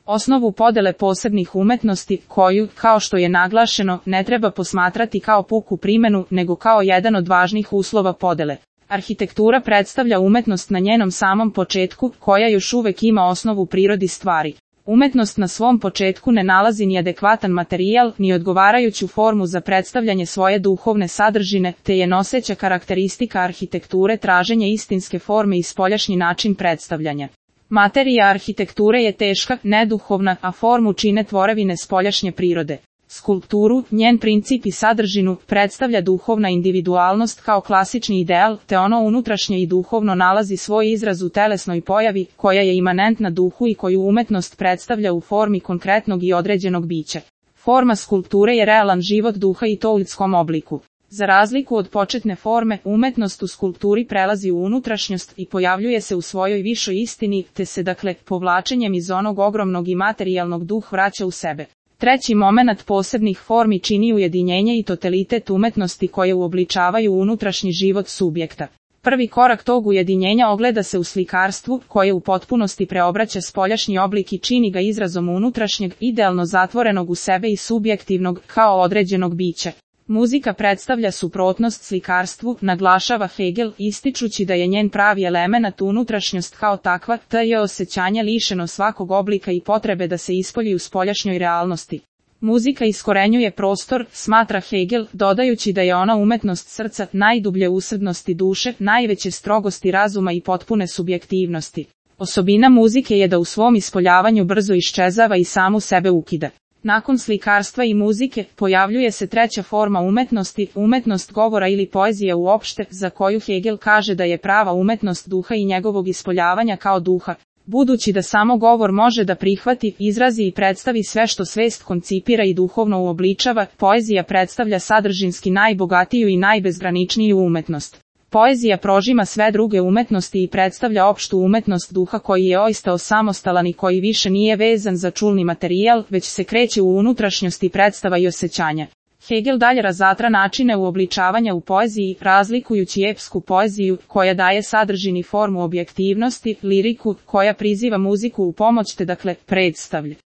osnovu podele posebnih umetnosti koju, kao što je naglašeno, ne treba posmatrati kao puku primjenu, nego kao jedan od važnih uslova podele. Arhitektura predstavlja umetnost na njenom samom početku, koja još uvek ima osnovu u prirodi stvari. Umetnost na svom početku ne nalazi ni adekvatan materijal, ni odgovarajuću formu za predstavljanje svoje duhovne sadržine, te je noseća karakteristika arhitekture traženje istinske forme i spoljašnji način predstavljanja. Materija arhitekture je teška, neduhovna, a formu čine tvorevine spoljašnje prirode. Skulpturu, njen princip i sadržinu, predstavlja duhovna individualnost kao klasični ideal, te ono unutrašnje i duhovno nalazi svoj izraz u telesnoj pojavi, koja je imanentna duhu i koju umetnost predstavlja u formi konkretnog i određenog bića. Forma skulpture je realan život duha i to u ljudskom obliku. Za razliku od početne forme, umetnost u skulpturi prelazi u unutrašnjost i pojavljuje se u svojoj višoj istini, te se dakle, povlačenjem iz onog ogromnog i materijalnog duh vraća u sebe. Treći momenat posebnih formi čini ujedinjenje i totalitet umetnosti koje uobličavaju unutrašnji život subjekta. Prvi korak tog ujedinjenja ogleda se u slikarstvu, koje u potpunosti preobraća spoljašnji oblik i čini ga izrazom unutrašnjeg, idealno zatvorenog u sebe i subjektivnog, kao određenog bića. Muzika predstavlja suprotnost slikarstvu, naglašava Hegel, ističući da je njen pravi elemenat unutrašnjost kao takva, te je osjećanje lišeno svakog oblika i potrebe da se ispolji u spoljašnjoj realnosti. Muzika iskorenjuje prostor, smatra Hegel, dodajući da je ona umetnost srca, najdublje usrdnosti duše, najveće strogosti razuma i potpune subjektivnosti. Osobina muzike je da u svom ispoljavanju brzo iščezava i samu sebe ukida. Nakon slikarstva i muzike, pojavljuje se treća forma umetnosti, umetnost govora ili poezija uopšte, za koju Hegel kaže da je prava umetnost duha i njegovog ispoljavanja kao duha. Budući da samo govor može da prihvati, izrazi i predstavi sve što svest koncipira i duhovno uobličava, poezija predstavlja sadržinski najbogatiju i najbezgraničniju umetnost. Poezija prožima sve druge umetnosti i predstavlja opštu umetnost duha koji je ostao samostalan i koji više nije vezan za čulni materijal, već se kreće u unutrašnjosti predstava i osjećanja. Hegel dalje razatra načine uobličavanja u poeziji, razlikujući epsku poeziju, koja daje sadržini formu objektivnosti, liriku, koja priziva muziku u pomoć te dakle predstavlja